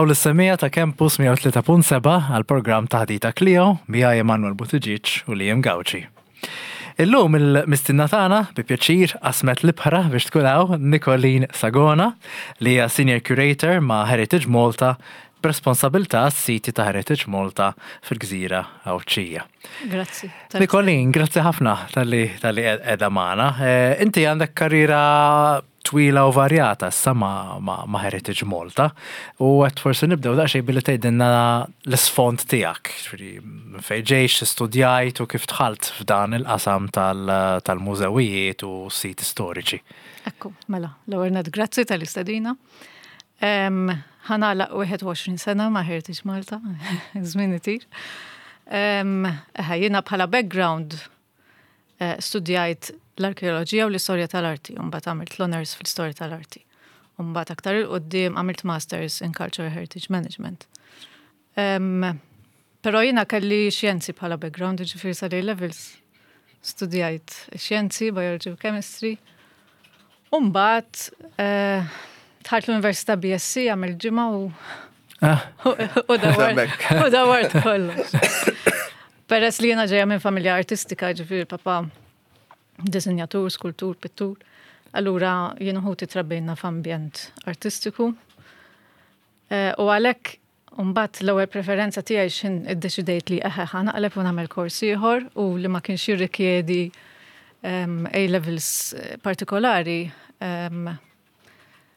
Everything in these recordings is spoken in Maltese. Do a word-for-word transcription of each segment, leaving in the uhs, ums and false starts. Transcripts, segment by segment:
Nilqgħu lis-semmiegħa ta' Campus mija u tlieta punt sebgħa għal programm Taħdita Klio miegħi, Emanuel Buttigieg u Liam Gauci. Illum il-mistiedna tagħna bi pjaċir qasmet l-ibħra biex tkun hawn, Nicolene Sagona, li hija Senior Curator ma' Heritage Malta b'responsabilità s-siti ta' Heritage Malta fil-Gżira Għawdxija. Grazzi. Nicolene, grazzi ħafna talli talli qiegħda magħna. Eh, Inti għandek karriera twila u varjata issa ma, ma, ma Heritage Malta u għedt forsi nibdew daqsxejn billi tgħidilna l-isfond tiegħek, ġifieri minn fejn ġejt, studjajt u kif dħalt f'dan il-qasam tal- tal-mużewijiet u siti storiċi. Ekku, mela, l-ewwel nett grazzi tal-istedina. Um, Ħa nagħlaq wieħed u għoxrin sena ma' Heritage Malta, żmien itir. Um, eħe, jiena bħala background eh, studjajt l-arkeoloġija u l-istorja tal-arti, u mbagħad għamilt l-honors fl-istorja tal-arti. U mbagħad aktar 'il quddiem għamilt Masters in Cultural Heritage Management. Um, Pero jiena kelli xjenzi bħala background, ġifieri sa levels studjajt xjenzi, biology u chemistry. Umbagħad, eh, dħalt l-Università B S C, għamilt ġimgħa u Ah, u dawart u dawart kollox. Peress li jiena ġeja minn familja artistika, ġifieri papa disinjatur, skultur, pittur. Allura jien u ħuti trabbejna f'ambjent artistiku. Eh, U għalhekk mbagħad l-ewwel preferenza tiegħi x'ħin iddeċidejt li eħe, ħa naqleb u nagħmel kors ieħor u li ma kienx jirrikjedi um, A-levels eh, partikolari. Um,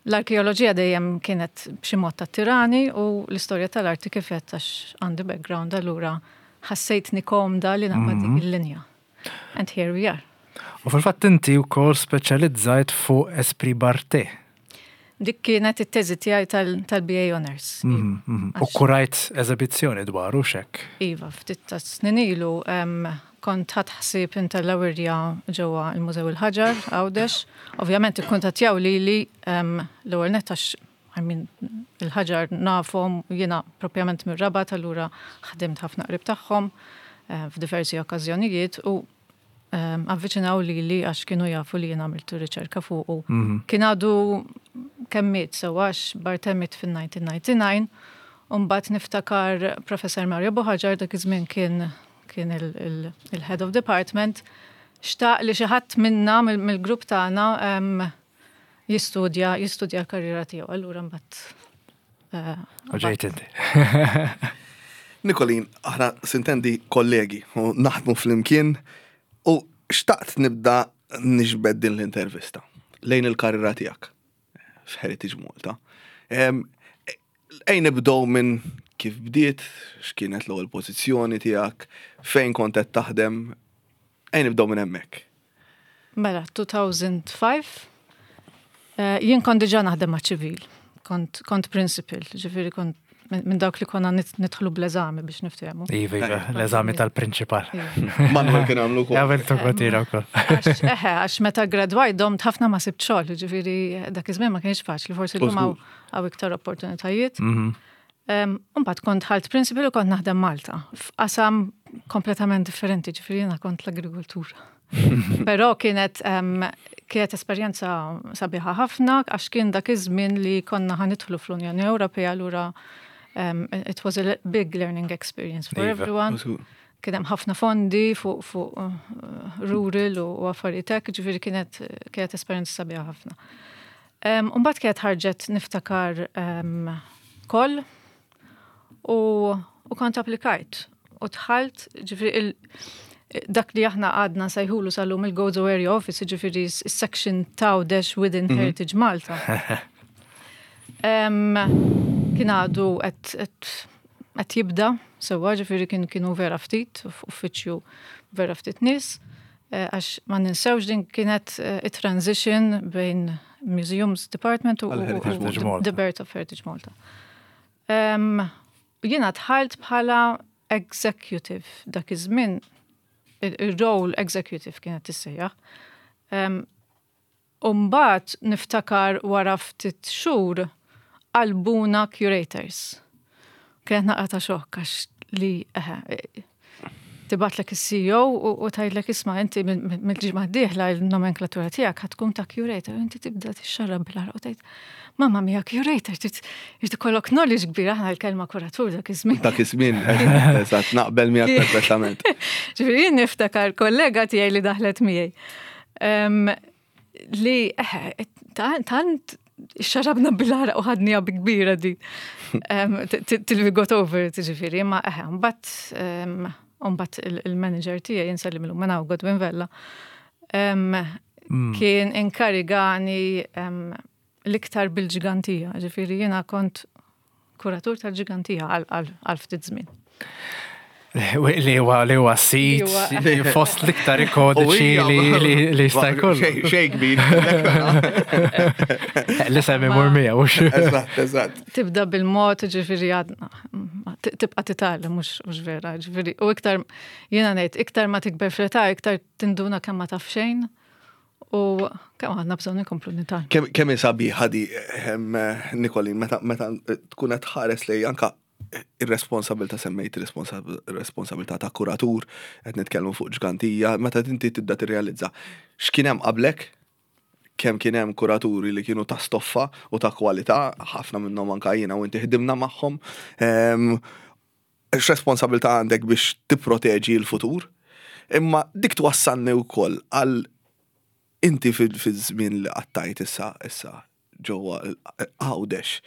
L-arkeoloġija dejjem kienet b'xi mod tattirani u l-istorja tal-arti kif għedt, għax għandi background, allura ħassejtni komda li naqbad dik il-linja. And here we are. U fil-fatt inti wkoll speċjalizzajt fuq Esprit Barthé. Dik kienet it-teżi tiegħi tal- tal-B A Honors. Mhm, mhm. U kurajt eżibizzjoni dwaru xek. Iva, ftit ta' snin ilu em, kont ħadt ħsieb intella' wirja ġewwa il-Mużew il-Ħaġar, Għawdex. Ovvjament ikkuntattjaw li li em, l-ewwel nett għax, I mean, il-Ħaġar nafhom, jiena propjament mir-Rabat, allura ħdimt ħafna qrib tagħhom eh, f'diversi okkażjonijiet u em, avviċinaw li li għax kienu jafu li jiena għamiltu riċerka fuqu. Kien għadu kemm miet sew, għax Barthé miet fin-elf disa' mija u disgħa u disgħin, u mbagħad niftakar Professor Mario Buhagiar, dak iż-żmien kien kien il-head of department, xtaq li xi ħadd minna mill- mill-grupp tagħna em, jistudja jistudja l-karriera tiegħu. Allura mbagħad eh, U ġejt inti. Nicolene, aħna sintendi kollegi u naħdmu flimkien u xtaqt nibda niġbed din l-intervista lejn il-karriera tiegħek f'Heritage Malta. Em, Ejja nibdew minn kif bdiet, x'kienet l-ewwel pożizzjoni tiegħek, fejn kont qed taħdem, ejja nibdew minn hemmhekk. Mela, elfejn u ħamsa, eh, jien kont diġà naħdem ma' ċivil, kont, kont principal, ġifieri kont minn minn dawk li konna nit- nidħlu bl-eżami biex niftehmu. Iva, iva, l-eżami tal-prinċipal. Manuel kien għamlu wkoll. Għamiltu kotira wkoll. Għax, eħe, għax meta gradwajt domt ħafna ma sibt xogħol, ġifieri dak iż-żmien ma kienx faċli, forsi llum hawn hawn iktar opportunitajiet. Mhm. Um, Mbagħad kont dħalt principal u kont naħdem Malta f'qasam kompletament differenti, ġifieri jiena kont l-agrikoltura. Però kienet um, kienet esperjenza sabiħa ħafna għax kien dak iż-żmien li konna ħa nidħlu fl-Unjoni Ewropea, allura um, it was a big learning experience for Iva. everyone. Kien hemm ħafna fondi fuq fuq uh, rural u u affarijiet hekk, ġifieri kienet kienet esperjenza sabiħa ħafna. Um, Mbagħad kienet ħarġet, niftakar, um, call u, u kont applikajt u dħalt, ġifieri il, dak li aħna għadna nsejħulu sal-lum il-Gozo Area Office, ġifieri s-section t'Għawdex within Heritage Malta. Um, kien għadu qed jibda, sewa, ġifieri kien kienu vera ftit, uffiċju vera ftit nies, eh, għax ma ninsewx din kienet eh, it-transition bejn Museums Department u, Għal u, Heritage u Malta. the Birth of Heritage Malta. Um, jiena dħalt bħala executive dak iż-żmien, il-role executive kienet tissejjaħ. Um, Umbagħad niftakar wara ftit xhur qalbuna curators. Kienet naqra ta' xokk għax li eħe, Tibgħatlek is-C E O u u tgħidlek, "Isma', inti mill-ġimgħa d-dieħla il-nomenklatura tiegħek ħa tkun ta' curator." Inti tibda tixxarrab bil-għaraq u tgħid, "Mamma mia, curator, trid ikollok knowledge kbir." Aħna l-kelma kuratur dak iż-żmien. Dak iż-żmien, eżatt, naqbel miegħek perfettament. Ġifieri jien niftakar kollega tiegħi li daħlet miegħi. Li eh, tant xarabna bil-għaraq u ħadnieha bi kbira di. Till we got over it, ġifieri, ma eħe, mbagħad mbagħad il-manager tiegħi, insellimlu minn hawn, Godwin Vella, mm. kien inkarigani l-iktar bil-Ġgantija, ġifieri jiena kont kuratur tal-Ġgantija għal ftit żmien. Li huwa li huwa sit fost l-iktar ikoniċi li li jista' jkun. Xejn kbir. Li semmi mur miegħu. Eżatt, eżatt. Tibda bil-mod, ġifieri għadna tibqa' titgħallem, mhux vera, ġifieri u iktar, jiena ngħid, iktar ma tikber fl-età, iktar tinduna kemm ma taf xejn u kemm għandna bżonn inkomplu nitgħallmu. Kemm sabiħa di, Nikolin, meta tkun qed tħares li anka ir-responsabilità, semmejt ir-responsabilità ta' kuratur, qed nitkellmu fuq Ġgantija, meta inti tibda tirrealizza x'kien hemm qablek, kemm kien hemm kuraturi li kienu ta' stoffa u ta' kwalità, ħafna minnhom anka jiena u inti ħdimna magħhom. X'responsabilità għandek biex tipproteġi l-futur? Imma dik twassalni wkoll għal inti fil-żmien li qattajt issa issa ġewwa Għawdex.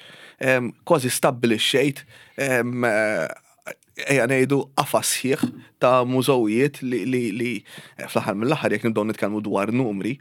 Kważi stabbilixxejt, ejja ngħidu, qafas sħiħ ta' mużewijiet li, li, li fl-aħħar mill-aħħar, jekk nibdew nitkellmu dwar numri,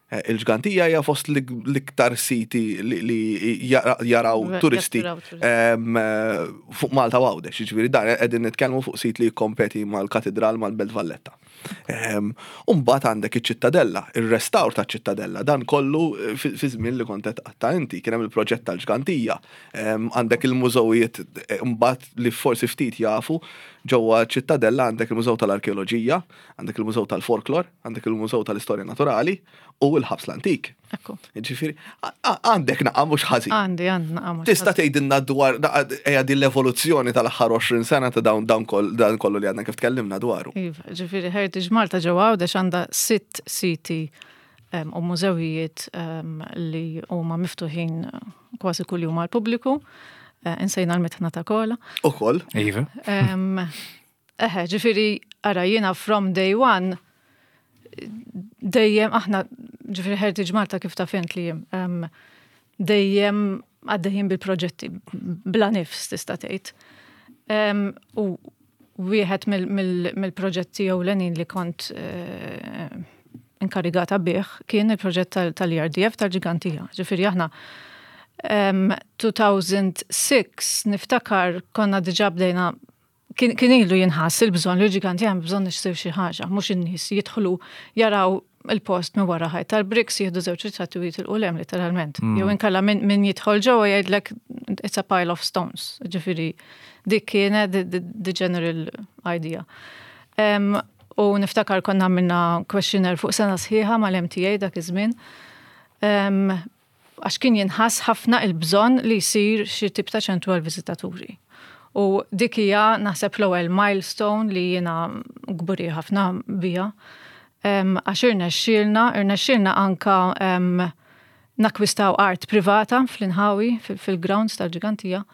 eh, il-Ġgantija hija fost l-iktar siti li jaraw turisti eh, fuq Malta u Għawdex. Ġifieri dan qegħdin nitkellmu fuq sit li jikkompeti mal-Katedral, mal-Belt Valletta. U mbagħad għandek iċ-Ċittadella, ir-restawr ta' ċittadella, dan kollu eh, fi żmien li kont qed tqatta' inti, kien hemm il-proġett tal-Ġgantija, għandek il-mużewijiet mbagħad li forsi ftit jafu, ġewwa Ċittadella għandek il-Mużew tal-Arkeoloġija, għandek il-Mużew tal-Folklor, għandek il-Mużew tal-Istorja Naturali u l-Ħabs l-Antik. Ġifieri, għandek naqa mhux ħażin. Għandi, għandi naqa mhux. Tista' tgħidilna dwar ejja din l-evoluzzjoni tal-aħħar għoxrin sena ta' dawn dan kollu li għadna kif tkellimna dwaru? Iva, ġifieri Heritage Malta ġewwa Għawdex għandha sitt siti u mużewijiet li huma miftuħin kważi kuljum għall-pubbliku. Eh, insejna l-Mitħna ta' Kola. Ukoll. Iva. Eħe, ġifieri, ara, jiena from day one, dejjem aħna, ġifieri Heritage Malta, kif taf int li dejjem għaddejjin bil-proġetti, bla nifs tista' tgħid. U wieħed mill-proġetti ewlenin li kont eh, inkarigata bih kien il-proġett tal-E R D F tal-Ġgantija. Ġifieri aħna elfejn u sitta niftakar konna diġà bdejna, kien ilu jinħass il-bżonn li l-Ġgantija hemm bżonn issir xi ħaġa, mhux in-nies jidħlu jaraw il-post minn wara ħajt tal-bricks, jieħdu żewġ ritratti u jitilqu 'l hemm literalment. Mm. Jew inkella min jidħol ġewwa jgħidlek, "It's a pile of stones." Ġifieri dik kienet the general idea. U niftakar konna għamilna questionnaire fuq sena sħiħa mal-M T A dak iż-żmien, għax kien jinħass ħafna il-bżonn li jsir xi tip ta' ċentru għal-viżitaturi. U dik hija naħseb l-ewwel milestone li jiena kburi ħafna bija. Għax irnexxielna, irnexxielna anka nakwistaw art privata fl-inħawi, fil-grounds tal-Ġgantija,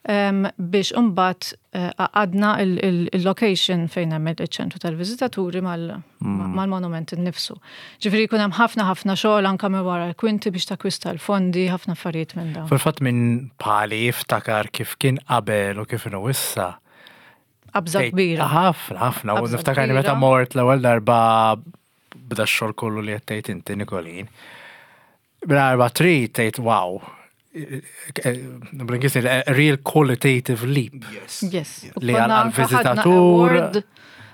biex imbagħad eh, għadna il-location fejn hemm il-ċentru tal-viżitaturi mm. mal-monument innifsu. Ġifieri jkun hemm ħafna ħafna xogħol anka minn wara l-kwinti biex takwista l-fondi, ħafna affarijiet minn dawn. Fil-fatt minn pali jiftakar kif kien qabel u kif inhu issa. Qabża kbira. Ħafna, ħafna. U niftakar meta mort l-ewwel darba bda x-xogħol kollu li qed tgħid inti, Nikolin. Bl-arba trid tgħid, "Wow, bl-Ingliż, a real qualitative leap." Yes. Yes. Li għal-viżitatur.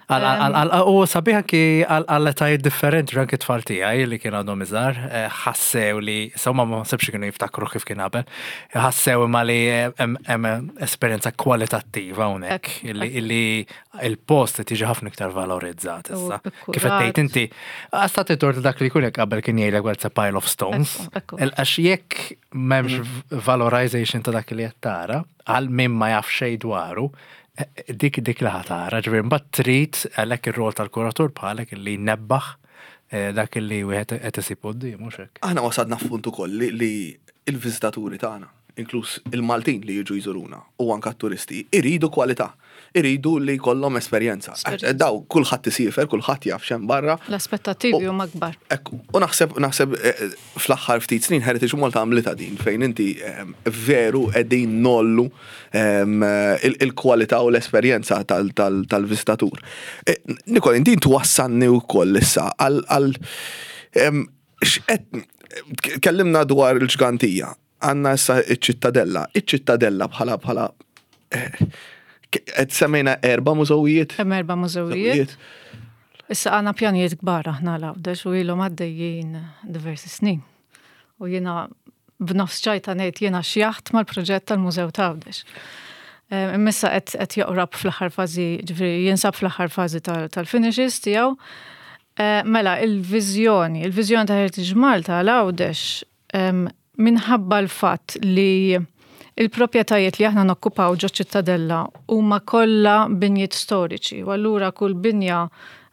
U sabiħ anki għal-etajiet differenti, anki tfal tiegħi li kien għadhom iżgħar, eh, ħassew li, sewwa ma nsibx kienu jiftakru kif kien qabel, ħassew imma li hemm esperjenza kwalitattiva hawnhekk, illi il-post tiġi ħafna iktar valorizzat issa. Kif qed tgħid inti, għasta tort dak li jkun jekk qabel kien jgħidlek, "Well, it's a pile of stones." Għax jekk m'hemmx valorization ta' dak li qed tara, għal min ma jaf xejn dwaru, Dik dik li ħa tara, ġifieri mbagħad trid għalhekk ir-rol tal-kuratur bħalek li nebbaħ eh, dak li wieħed qed isib quddiem, mhux hekk. Aħna wasadna f'punt ukoll li, li il-viżitaturi tagħna, inkluż il-Maltin li jiġu jżuruna u anka t-turisti, iridu kwalità, iridu li jkollhom esperjenza. Esperjenza. Daw kulħadd isiefer, kulħadd jaf x'hemm barra. L-aspettattivi huma kbar. Ekku, u naħseb naħseb eh, fl-aħħar ftit snin Heritage Malta għamlita din fejn inti eh, veru qegħdin ngħollu em, il- il-kwalità u l-esperjenza tal- tal- tal-viżitatur. Eh, Nikol, inti twassalni wkoll issa għal għal em, x'qed kellimna dwar il-Ġgantija, għandna issa iċ-Ċittadella, iċ-Ċittadella bħala bħala eh, qed semmejna erba' mużewijiet. Hemm erba' mużewijiet. Issa għandna pjanijiet kbar aħna l-Għawdex u ilhom għaddejjin diversi snin. U jiena b'nofs ċajta ngħid jiena xjaħt mal-proġett tal-Mużew ta' Għawdex. Imma issa qed qed joqrab fl-aħħar fażi, ġifieri jinsab fl-aħħar fażi tal-finishes tiegħu. Eh, mela, il-viżjoni, il-viżjoni ta' Heritage Malta għal Għawdex minħabba l-fatt li il-proprjetajiet li aħna nokkupaw ġo Ċittadella huma kollha binjiet storiċi, u allura kull binja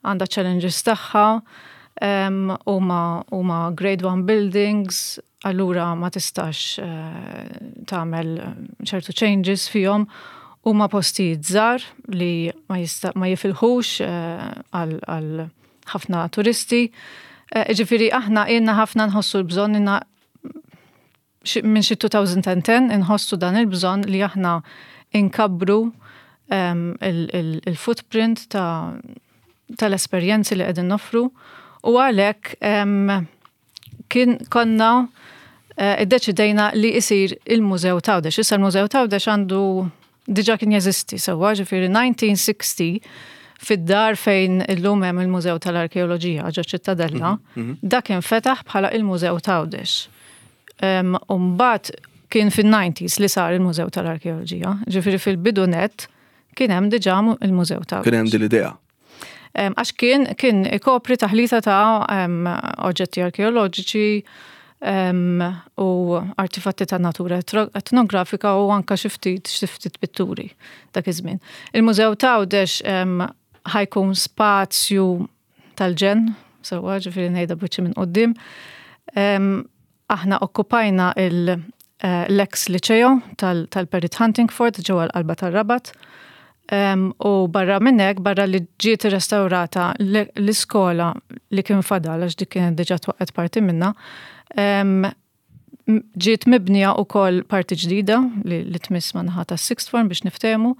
għandha challenges tagħha, huma huma grade one buildings, allura ma tistax eh, tagħmel ċertu changes fihom, huma postijiet żgħar li ma jista' ma jifilħux eh, għal ħafna turisti. Eh, ġifieri aħna ilna ħafna nħossu l-bżonn inna minn xi elfejn u għaxra inħossu dan il-bżonn li aħna inkabbru il-footprint ta' tal-esperjenzi li qegħdin noffru u għalhekk kien konna eh, iddeċidejna li isir il-Mużew t'Għawdex. Issa l-Mużew t'Għawdex għandu diġà kien jeżisti sewwa, ġifieri elf disa' mija u sittaw fid-dar fejn illum hemm il-Mużew tal-Arkeoloġija ġo Ċittadella, mhm, mhm. dak infetaħ bħala il-Mużew t'Għawdex. U mbagħad kien fin-disgħinat li sar il-Mużew tal-Arkeoloġija, ġifieri fil-bidu net kien hemm diġà il-Mużew ta' Kien hemm din l-idea. Għax kien kien ikopri taħlita ta' oġġetti arkeoloġiċi u artifatti ta' natura etnografika u anka xi ftit xi ftit pitturi dak iż-żmien. Il-Mużew t'Għawdex ħa jkun spazju tal-ġenn, sewwa, ġifieri ngħidha biċċi minn quddiem. Aħna okkupajna eh, l-ex liceo tal-Perit Huntingford ġewwa l-qalba tar-Rabat. U barra minnek, barra li ġiet restaurata l-iskola li kien fadal, għax dik kienet diġà twaqqet parti minna, ġiet mibnija u koll parti ġdida li, li tmiss man-naħa ta' sixth form biex niftehmu,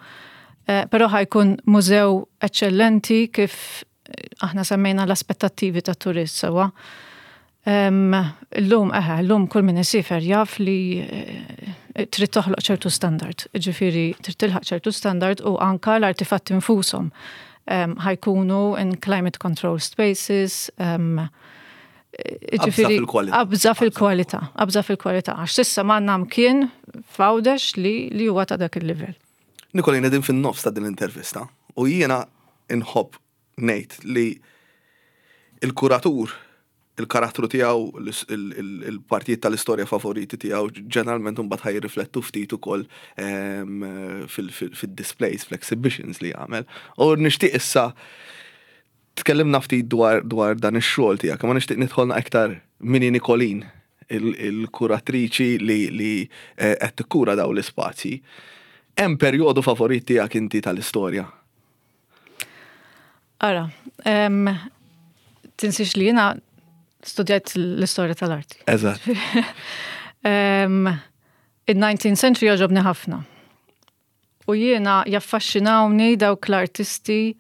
eh, però ħa jkun mużew eccellenti kif aħna semmejna l-aspettattivi ta' turist sewwa. Illum, eħe, illum kull min isiefer jaf li eh, trid toħloq ċertu standard. Ġifieri, trid tilħaq ċertu standard u anka l-artifatti infushom ħa jkunu in climate control spaces. Ġifieri, qabża fil-kwalità, qabża fil-kwalità. Għax s'issa m'għandna mkien f'Għawdex li li huwa ta' dak il-livell. Nikolina, din fin-nofs ta' din l-intervista u jiena inħobb ngħid li il-kuratur, il-karattru tiegħu, il-partijiet tal-istorja favoriti tiegħu ġeneralment mbagħad ħa jirriflettu ftit ukoll fil-displays, fl-exhibitions li jagħmel. U nixtieq issa tkellimna ftit dwar dwar dan ix-xogħol tiegħek, ma nixtieq nidħolna aktar min hi Nikolin, il-kuratriċi li li eh, qed tikkura daw l-ispazji. Hemm perjodu favorit tiegħek inti tal-istorja? Ara, tinsix li jiena studjajt l-istorja tal-arti. Eżatt. Il-nineteenth century jogħġobni ħafna. U jiena jaffaxxinawni dawk l-artisti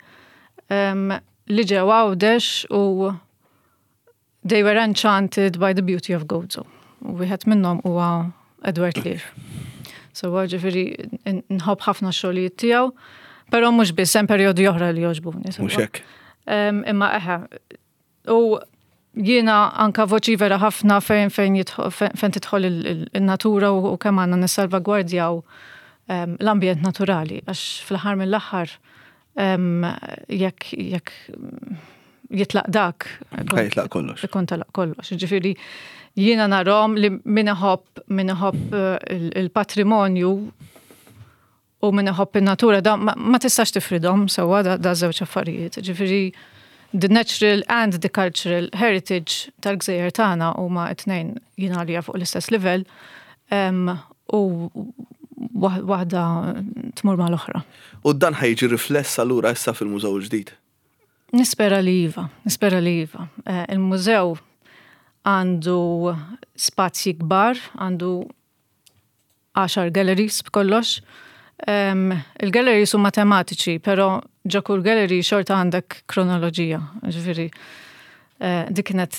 li ġew Għawdex u they were enchanted by the beauty of Gozo. U wieħed minnhom huwa Edward Lear. So ġifieri nħobb ħafna xogħlijiet tiegħu, però mhux biss, hemm perjodi oħra li jogħġbuni. Mhux hekk. Imma eħe, u jiena anka voċifera ħafna fejn fejn fejn tidħol il-natura u kemm għandna nissalvagwardjaw l-ambjent naturali, għax fl-aħħar mill-aħħar jekk jekk jitlaq dak. Jitlaq kollox. Ikun telaq kollox. Ġifieri jiena narahom li min iħobb min iħobb eh, il-patrimonju U min iħobb in-natura, da ma, ma tistax tifridhom sewwa da, da żewġ affarijiet. Ġifieri the natural and the cultural heritage tal-gżejjer tagħna huma t-tnejn jien għalija fuq l-istess livell um, u waħda tmur mal-oħra. U dan ħa jiġi rifless allura issa fil-mużew ġdid. Nispera li iva, nispera li iva. Eh, Il-mużew għandu spazji kbar, għandu għaxar galleries b'kollox. Um, il-galleries huma tematiċi, però ġo kull gallery xorta għandek kronoloġija. Ġifieri, eh, dik kienet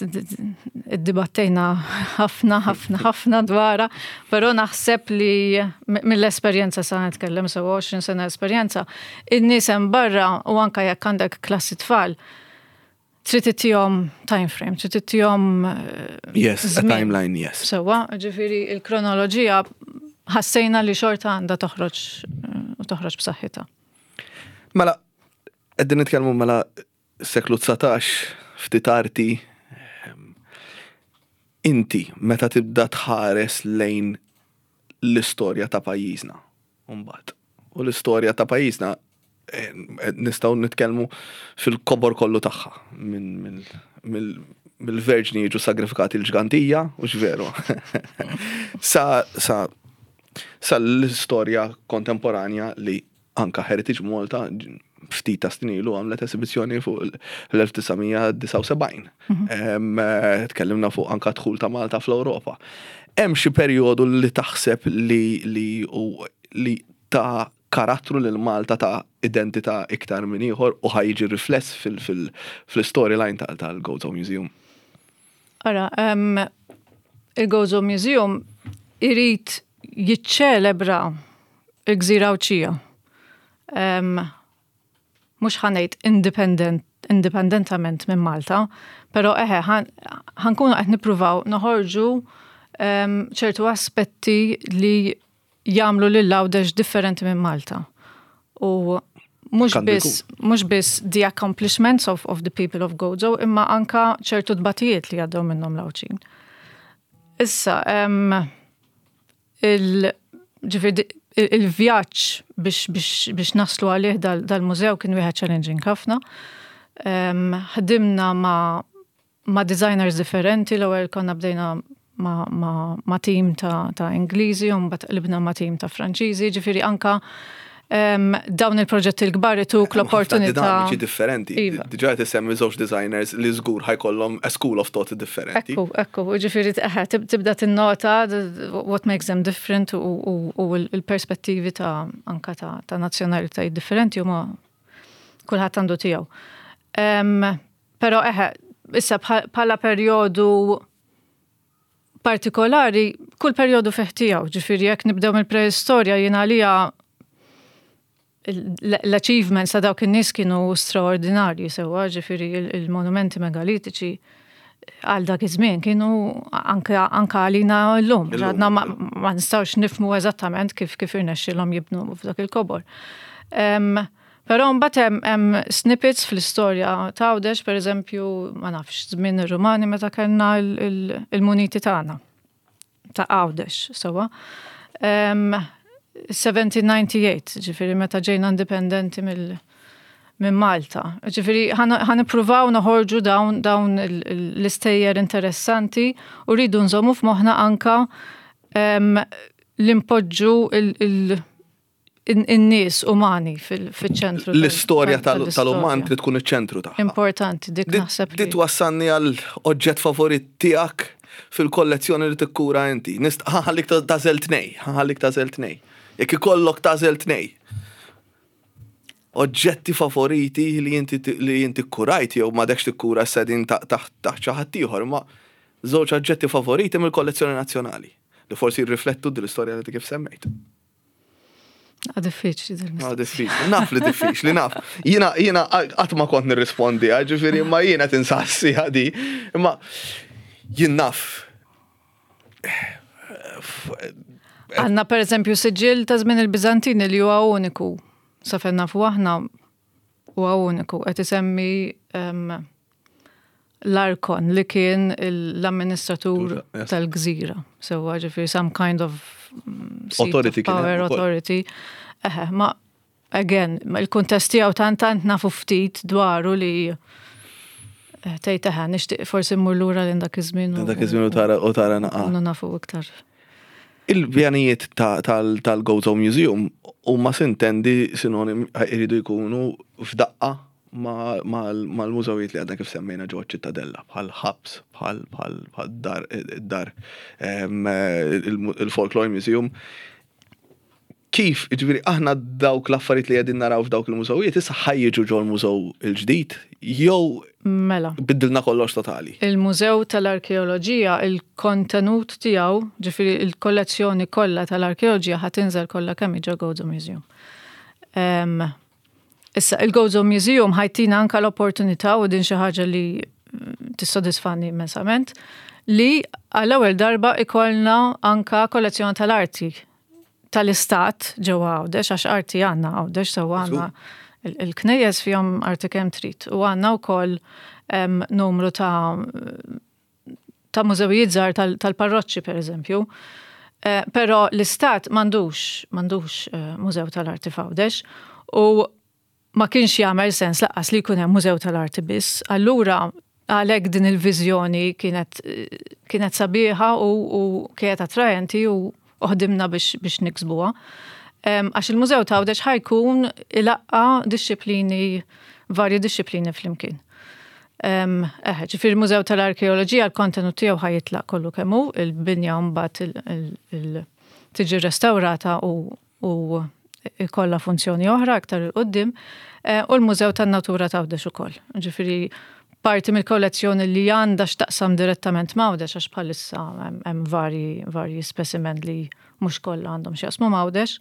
iddibattejna ħafna, ħafna, ħafna dwarha, però naħseb li mill-esperjenza sa nitkellem sew għoxrin sena esperjenza, in-nies hemm barra u anka jekk għandek klassi tfal, trid ittihom time frame, trid ittihom eh, Yes, a żmien. timeline, yes. Sewwa, ġifieri il-kronoloġija ħassejna li xorta għandha toħroġ eh, u toħroġ b'saħħitha. Mela, qegħdin nitkellmu mela seklu dsatax, ftit arti. ehm, Inti, meta tibda tħares lejn l-istorja ta' pajjiżna, mbagħad. U l-istorja ta' pajjiżna eh, nistgħu nitkellmu fil-kobor kollu tagħha minn minn- mill- mill-verġni jiġu sagrifikati l-Ġgantija, u veru. Sa, sa, sa l-istorja kontemporanja li anka Heritage Malta ftit ta' snin ilu għamlet esibizzjoni fuq l-elf disa' mija disgħa u sebgħin. Em, eh, Tkellimna fuq anka dħul ta' Malta fl-Ewropa. Hemm xi perjodu li taħseb li li u li ta' karattru lil Malta, ta' identità iktar minn ieħor u ħa jiġi rifless fil-storyline tal-Gozo Museum? Ara, um, il-Gozo Museum irid jiċċelebra il-gżira Għawdxija. Um, mhux ħa ngħid independent, indipendentament minn Malta, pero eħe, ħa nkunu qed nippruvaw noħorġu um, ċertu aspetti li jagħmlu lil Għawdex differenti minn Malta. U mhux Għandu biss mhux biss the accomplishments of, of the people of Gozo, imma anka ċertu tbatijiet li għaddew minnhom l-Għawdxin. Issa, um, il, ġifieri, il- il-vjaġġ biex, biex, biex naslu għalih dal- dal-mużew kien wieħed challenging ħafna. Um, ħdimna ma, ma designers differenti, l-ewwel konna bdejna ma, ma, ma team ta', ta' Ingliżi, u mbagħad qlibna ma' team ta' Franċiżi, ġifieri anka um, dawn il-proġetti l-kbar ituk l-opportunità. Dinamiċi differenti. Iva. Diġà qed isemmi żewġ designers li żgur ħa jkollhom a school of thought differenti. Ekku, ekku, ġifieri, eħe, tib- tibda tinnota d- what makes them different u, u, u il-perspettivi ta' anka ta', ta' nazzjonalitajiet differenti huma kulħadd għandu tiegħu. Um, pero eħe, issa bħal- bħala perjodu partikolari, kull perjodu fih tiegħu, ġifieri jekk nibdew mill-preistorja, jien għalija l-achievements ta' dawk in-nies kienu straordinarji sewwa, ġifieri il- il-monumenti megalitiċi għal dak iż-żmien kienu anka anka għalina llum. Illum, Għadna ma, ma nistgħux nifhmu eżattament kif kif irnexxielhom jibnu f'dak il-kobor. Um, Però mbagħad hemm hemm snippets fl-istorja ta' Għawdex, pereżempju, ma nafx, żmien ir-Rumani meta kellna il- il- il-muniti tagħna ta' Għawdex, sewwa. Um, seventeen ninety-eight, ġifieri meta ġejna indipendenti mill minn Malta. Ġifieri ħa nippruvaw noħorġu dawn dawn il- il- l-istejjer interessanti u rridu nżommu f'moħħna anka um, l-impoġġu il- il- in-nies umani fil-ċentru. L-istorja tal-uman trid tkun iċ-ċentru tagħha. Importanti, dik naħseb. Di twassalni għal oġġett favorit tiegħek fil-kollezzjoni li tikkura inti. Ħa nħallik tagħżel tnejn, ħa nħallik tagħżel tnejn. Jekk ikollok tagħżel tnejn. Oġġetti favoriti li inti li inti kurajt jew m'għadekx tikkura, qegħdin taħt xi ħadd ieħor, ma żewġ oġġetti favoriti mill-kollezzjoni nazzjonali li forsi jirriflettu l-istorja li kif semmejt. Ah, diffiċli. Ah, diffiċli. Naf li diffiċli, naf. Jiena, jiena qatt ma kont nirrispondi, ġifieri, ma jiena tinsassi għadi. Imma jien naf. Għandna per eżempju siġil ta' żmien il-Bizantini li huwa uniku. Sa fejn nafu aħna huwa uniku. Qed isemmi l-Arkon li kien l-amministratur tal-gżira. Sewwa, ġifieri some kind of mm, authority of power, authority. Eħe, ma again, il-kuntest tiegħu tant tant nafu ftit dwaru li eh, tgħid eħe, nixtieq forsi mmur lura lil dak iż-żmien. Dak iż-żmien u tara u tara naqa. U nafu iktar. Il-pjanijiet tal-Gozo Museum huma sintendi sinonim iridu jkunu f'daqqa mal-mużewijiet li għadna kif semmejna ġewwa Ċittadella, bħal ħabs, bħal bħal dar dar il-Folklore Museum. Kif, ġifieri, aħna dawk l-affarijiet li qegħdin naraw f'dawk il-mużewijiet, issa ħa jiġu ġol mużew il-ġdid, jew Mela. biddilna kollox totali? Il-Mużew tal-Arkeoloġija, il-kontenut tiegħu, ġifieri il-kollezzjoni kollha tal-arkeoloġija ħa tinżel kollha kemm ġo Gozo Museum. Um, issa, il-Gozo Museum ħa jtina anka l-opportunità u din xi ħaġa li tissodisfani immensament, li għall-ewwel darba ikollna anka kollezzjoni tal-arti tal-istat ġewwa Għawdex, għax arti għandna Għawdex, sew għandna il-knejjes fihom arti kemm trid. U għandna wkoll numru ta' ta' mużewijiet żgħar tal-parroċċi per eżempju. Eh, però l-istat m'għandux m'għandux eh, mużew tal-arti f'Għawdex u ma kienx jagħmel sens lanqas li jkun hemm mużew tal-arti biss. Allura għalhekk din il-viżjoni kienet kienet sabiħa u, u kienet attrajenti u ħdimna biex, biex niksbuha. Għax il-Mużew ta' Għawdex ħa jkun ilaqqa' dixxiplini, varji dixxiplini flimkien. Eħe, ġifieri il-Mużew tal-Arkeoloġija l-kontenut tiegħu ħa jitlaq kollu kemm hu, il-binja mbagħad tiġi restaurata u, u ikollha funzjoni oħra aktar 'il quddiem, eh, u l-Mużew tan-Natura ta' Għawdex ukoll. Ġifieri parti mill-kollezzjoni li għandha x'taqsam direttament ma' Għawdex għax bħalissa hemm varji varji specimen li mhux kollha għandhom x'jaqsmu ma' Għawdex.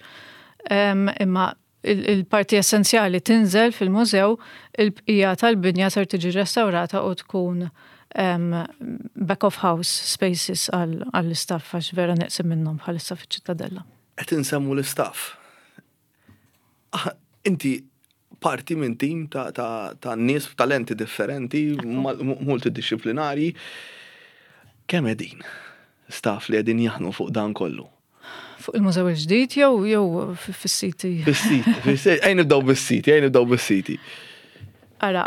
Imma il-parti essenzjali tinżel fil-mużew, il-bqija tal-binja ser tiġi restaurata u tkun back of house spaces għall-istaff għax vera neqsin minnhom bħalissa fiċ-Ċittadella. Qed insemmu l-istaff. Ah, inti parti minn tim ta', ta, ta' nies talenti differenti, multidisciplinari. Kemm qegħdin staff li qegħdin jaħdmu fuq dan kollu? Fuq il-mużew il-ġdid jew jew fis-siti? Fis-siti, fis-siti, ejja nibdew bis-siti, ejja nibdew bis-siti. Ara,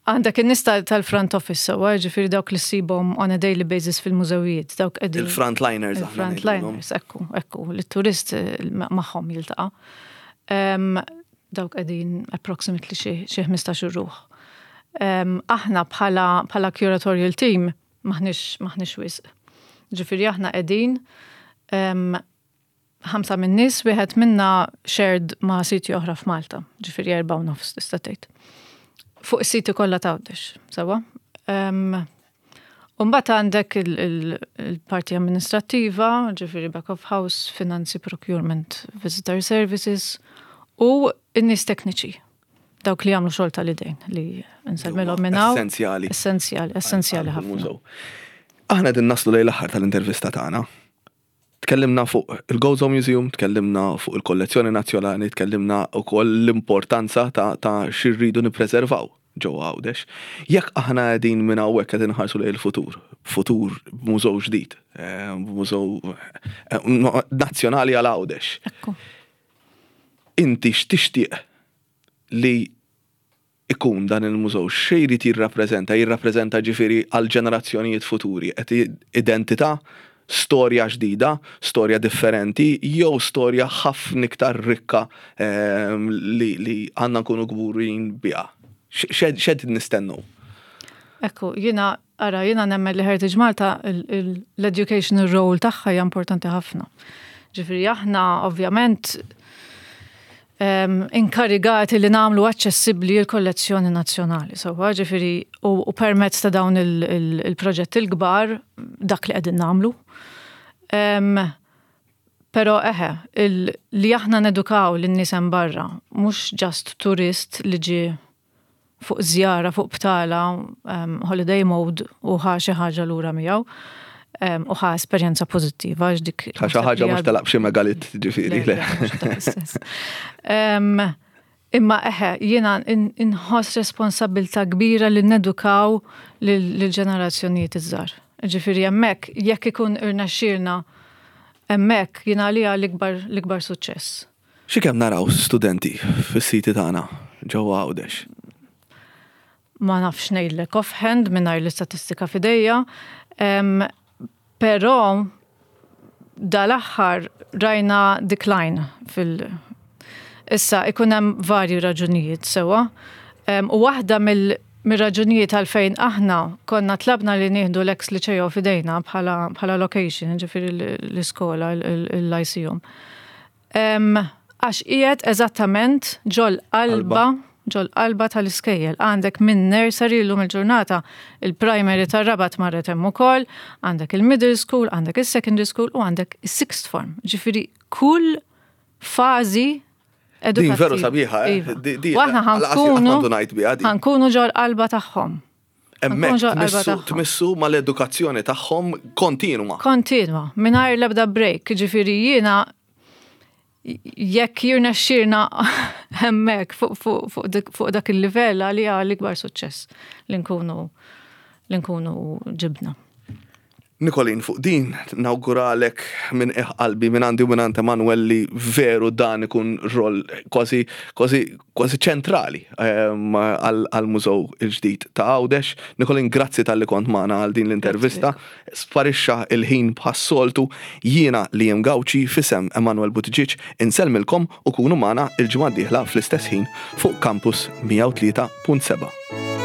għandek in-nies tal-front office sewwa, ġifieri dawk li ssibhom on a daily basis fil-mużewijiet, dawk qegħdin. Il-frontliners. Il-frontliners, ekku, ekku, li turist eh, magħhom jiltaqa'. Dawk qegħdin approximately xi ħmistax ruħ. Aħna bħala bħala curatorial team maħniex maħniex wisq. Ġifieri aħna qegħdin ħamsa minn nies, wieħed minna shared ma' siti oħra f'Malta, ġifieri erba' u nofs tista' tgħid. Fuq is-siti kollha ta' Għawdex, sewwa. Umbagħad għandek il-parti amministrattiva, ġifieri back of house, finanzi, procurement, visitor services, u n-nies tekniċi. Dawk li jagħmlu xogħol tal-idejn li nsellmilhom minn hawn. Essenzjali. Essenzjali, essenzjali ħafna. Aħna din naslu lejn l-aħħar tal-intervista tagħna. Tkellimna fuq il-Gozo Museum, tkellimna fuq il-kollezzjoni nazzjonali, tkellimna wkoll l-importanza ta', ta' x'irridu nippreservaw ġewwa Għawdex. Jekk aħna qegħdin minn hawnhekk qegħdin nħarsu lejn il-futur, futur mużew ġdid, eh, mużew eh, nazzjonali għal Għawdex. Ekku. Inti x'tixtieq li ikun dan il-mużew, x'jrid jirrappreżenta? Jirrappreżenta ġifieri għal ġenerazzjonijiet futuri, qed identità, storja ġdida, storja differenti, jew storja ħafna iktar rikka ehm, li, li għandna nkunu kburin biha. X'qed nistennu? Ekku, jiena, ara, jiena nemmen li Heritage Malta l-educational role tagħha hija importanti ħafna. Ġifieri aħna ovvjament um, inkarigati li nagħmlu aċċessibbli l-kollezzjoni nazzjonali. So, ġifieri, u, u permezz ta' dawn il-proġett il il-kbar, dak li qegħdin nagħmlu. Um, Pero eħe, il, li aħna nedukaw lin-nies hemm barra, mhux just turist li ġi fuq żjara, fuq btala, um, holiday mode u ħa xi ħaġa lura miegħu um, u ħa esperjenza pożittiva għax dik. Ħa xi ħaġa mhux telaq b'xi megalit ġifieri. Le, le, mhux dak is-sens. Um, Imma eħe, jiena inħoss responsabbiltà kbira li nedukaw lill-ġenerazzjonijiet iż-żgħar. Ġifieri hemmhekk jekk ikun irnexxielna hemmhekk jiena għalija l-ikbar l-ikbar suċċess. Xi kemm naraw studenti fis-siti tagħna ġewwa Għawdex? Ma nafx ngħidlek offhand mingħajr l-istatistika f'idejja, però dal-aħħar rajna decline fil- Issa, ikun hemm varji raġunijiet sewwa. U waħda mill-raġunijiet għalfejn aħna konna tlabna li nieħdu l-ex Liceo f'idejna bħala location, ġifieri l-iskola, l-Lyceum. Għax qiegħed eżattament ġol qalba ġol qalba tal-iskejjel. Għandek minn nursery l-lum il-ġurnata, il-primary tar-Rabat marret hemm ukoll, għandek il-middle school, għandek il-secondary school u għandek il-sixth form. Ġifieri kull fażi Din veru sabiħa, eh? Iva. U aħna ħa nkunu ġol qalba tagħhom. Hemmhekk tmissu mal-edukazzjoni tagħhom kontinwa. Kontinwa, mingħajr l-ebda break, ġifieri jiena jekk jirnexxirna hemmhekk fuq dak il-livell, għalija l-ikbar suċċess li nkunu li nkunu ġibna. Nikolin, fuq din nawguralek minn qalbi, minn għandi u minn għand Emanuel, li veru dan ikun rol kważi kważi kważi ċentrali ehm, għal-mużew il-ġdid ta' Għawdex. Nikolin, grazzi talli kont magħna għal din l-intervista. Sparixxa il-ħin bħas-soltu. Jiena Liam Gauci, f'isem Emanuel Buttigieg, insellmilkom u kunu magħna il-ġimgħa d-dieħla fl-istess ħin fuq Campus mija u tlieta punt seba'.